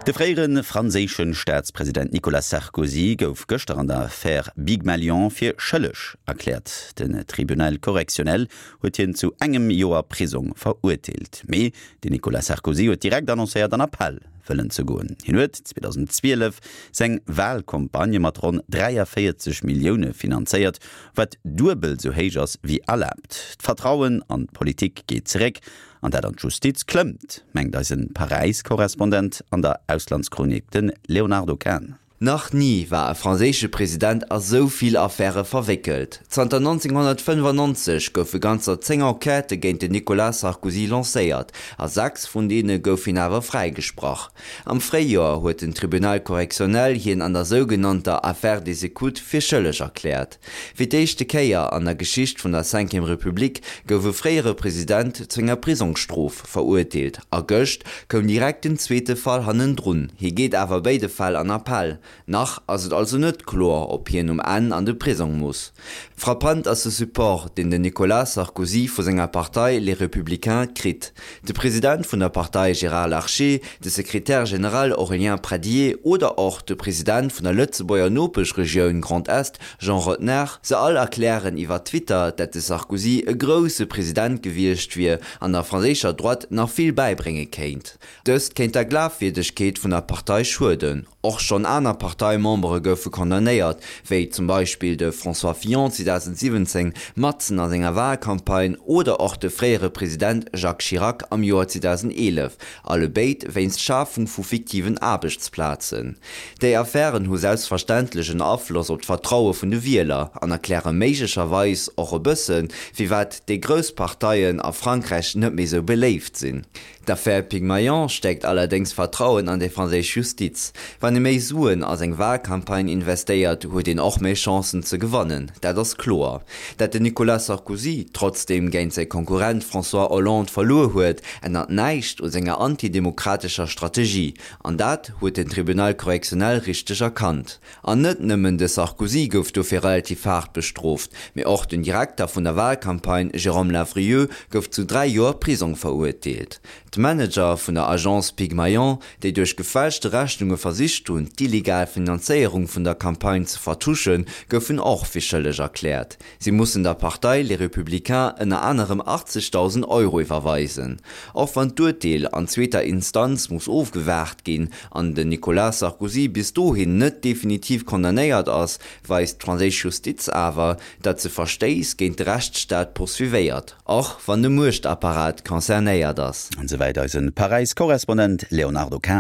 De fréiere franséische Staatspresident Nicolas Sarkozy gouf gëschter an der Affär Bygmalion fir schëlleg erkläert. Den Tribunal correctionnel huet hien zu engem Joer Prisong verurteelt. Mee den Nicolas Sarkozy huet direkt annoncéiert an Appell wëllen ze goen. Hien huet 2012 seng Walcampagne mat ronn 43 Millioune finanzéiert, wat duebel sou héich ass wéi erlaabt. D'Vertrauen an d'Politik geet zeréck an dat an d'Justiz klëmmt, mengt eise Paräis-Korrespondent an der Auslandschronik, de Léonardo Kahn. Nach ni war e franséische President a sou vill Affäre verwéckelt. Zanter 1995 goufe ganzer 10 Enquêtë géint den Nicolas Sarkozy lancéiert, a 6 vun deene gouf hien awer fräigesprach. Am Fréijoer huet den Tribunal correctionnel hien an der sougenannter Affaire des écoutes fir schëlleg erkläert. Fir d'éischte Kéier an der Geschicht vun der Cinquième Republique gouf e fréiere President zu enger Prisongsstrof verurteelt a gëscht koum direkt den zweete Fall hannendrun. Hie geet awer béide Fäll an Appell. Nach ass et also net kloer, ob hien um Enn an de Prisong muss. Frappant ass de Support, deen den Nicolas Sarkozy vu senger Partei Les Républicains kritt. De President vun der Partei Gérard Larcher, de Secrétaire général Aurélien Pradié oder och de President vun der Lëtzebuerger Nopeschregioun Grand Est Jean Rottner, se all erklären iwwer Twitter, dat de Sarkozy e grousse President gewiescht wier an der franséischer Droite nach vill bäibrénge kéint. Dëst kéint der Glafwierdegkeet vun der Partei schueden. Och schonn aner Parteimembere goufe condamnéiert, wéi zum Beispill de François Fillon 2017 matzen a senger Walcampagne oder och de fréiere President Jacques Chirac am Joer 2011, allebéid wéinst Schafung vu fiktiven Aarbechtsplazen. Déi Affären hu selbstverständlech en Afloss op d'Vertraue vun de Wieler an erkläre méiglecherweis och e bëssen, firwat déi grouss Parteien a Frankräich net méi sou beléift sinn. D'Affär Pygmalion stäerkt allerdéngs d'Vertrauen an déi franséisch Justiz. Wann ee méi Suen a seng Walcampagne investéiert, huet een och méi Chancen ze gewannen, dat ass kloer. Dat den Nicolas Sarkozy trotzdeem géint säi Konkurrent François Hollande verluer huet, ännert näischt u senger antidemokratescher Strategie. An dat huet den Tribunal correctionnel richteg erkannt. An net nëmmen de Sarkozy gouf dofir relativ haart bestrooft, mee och den Direkter vun der Walcampagne Jérôme Lavrilleux gouf zu 3 Joer Prisong verurteelt. D'Manager vun der Agence Pygmalion, déi duerch gefälschte Rechnunge versicht hunn, d'illegal Finanzéierung vun der Campagne ze vertuschen, goufen och fir schëlleg erkläert. Si mussen der Partei Les Républicains ënner anerem 80.000 Euro iwwerweisen. Och wann d'Urteel an zweeter Instanz muss ofgewaart ginn an den Nicolas Sarkozy bis dohin net definitiv condamnéiert ass, weist d'franséisch Justiz awer, datt se Verstéiss géint de Rechtsstaat poursuivéiert, och wann de Muechtapparat concernéiert ass. An esouwäit eise Paräis-Korrespondent Léonardo Kahn.